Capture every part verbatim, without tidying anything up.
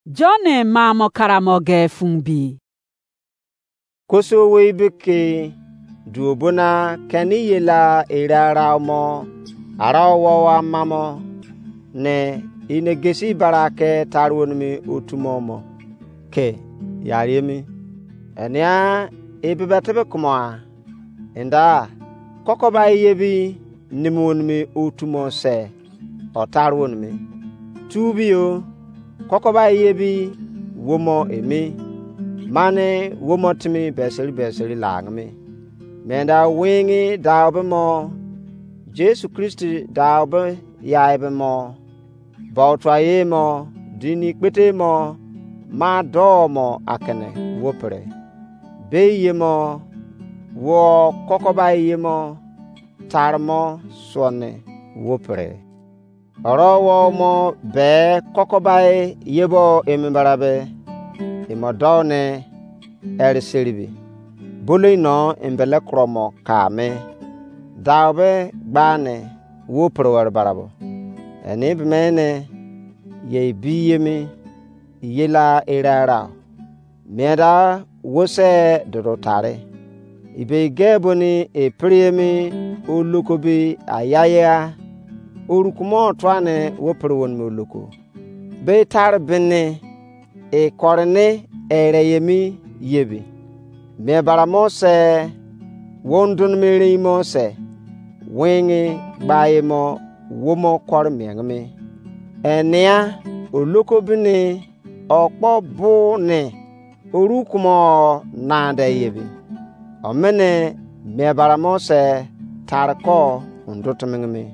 John mamo karamo ge fun bi. Koso wei be ke duo bona keni yela era rao mo arao wo amamo ne inegesi bara ke taruo nimi otumo mo ke yariemi. Enia ebebetebe kumo a enda kokoba eyebi nimi onimi otumo se otaruo nimi. Tu biyo, kokoba eyebi womo emi, mane womo timi beseri beseri lagimi. Menda wingi daube mo, Jesu Kristi daube yaibe mo, bautua ye mo, dini kpete mo, ma doo mo akene wo pre. Be ye mo, wo kokoba ye mo, tare mo suo ne wo pre. Oro wo mo be kokobai yebo emi barabe, imo dou ne ere seribi. Bolo ino embele kuro mo ka me. Dau be gba ne wo pre were barabo. Eni be me ne ye bi yemi yela era era. Mien da wo se dodo tare. Ibe ge boni e pre emi oloko be ayaya. Orukumo tuane wo pre wonimi oloko. Be tare bene e korene ere yemi yebi. Mien bara mo se wo ndon me rein mo se. Wingi gba emo wo mo kore miengimi. Enia oloko bini okpo bu ne oru kumo na de yebi. Omene mie bara mo se tare ko undo timingimi.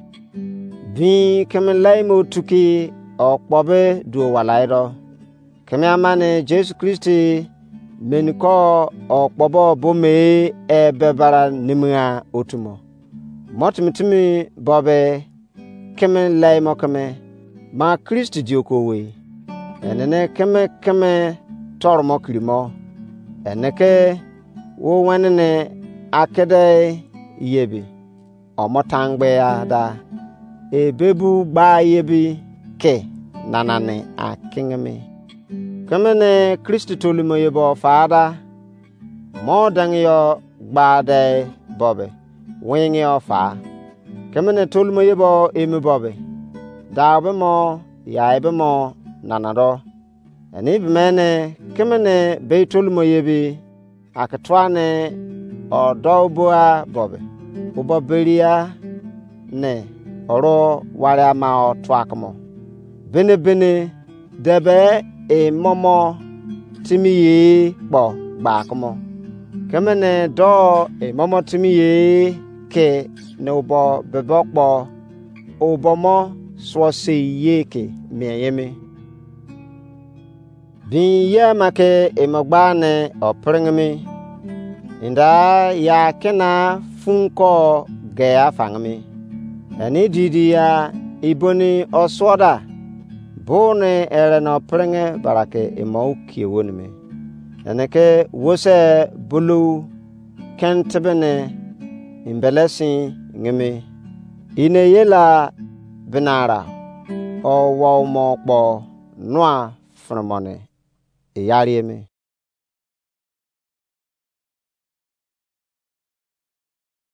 Bin keme lai mo tuki okpo be duo walai do. Keme amane Jesu Kristi meni ko okpo bo bo me e be bara nimia otumo. Mo timi timi bo be keme lai mo keme, ma Kristi di oku owei. Enene keme keme toro mo kiri mo. Ene ke wo wenene akede yebi. Omo tangbe ya da. Ebe bu gba yebi ke nanani akingimi. Keme ne Kristi tolumo yebo fa da. Mo dangi yo gba de bobe. Wingi yo fa. Keme ne tolumo yebo emi bobe. Dau be mo, yai be mo, nana do. Eni be mene, keme ne be tolumo yebi, ake tua ne odo bua bobe. Ubo beria ne oro wari ama o tua kumo. Bene bene debe e momo timi ye kpo gba kumo. Keme ne do e momo timi ye ke ne ubo bebe kpo ubo mo suo sei ye ke mien yemi. Bin ye ama ke emo gba ne o pringimi. Inda ya kena fun ko ge afangimi. Eni didi ya iboni osuo da. Bo ne ere no pringe barake emo ukie wonimi. Ene ke wose bulu ken tebene imbelesin ngimi. Ine yela binara o wo mo kpo nua fromone. Iyari emi.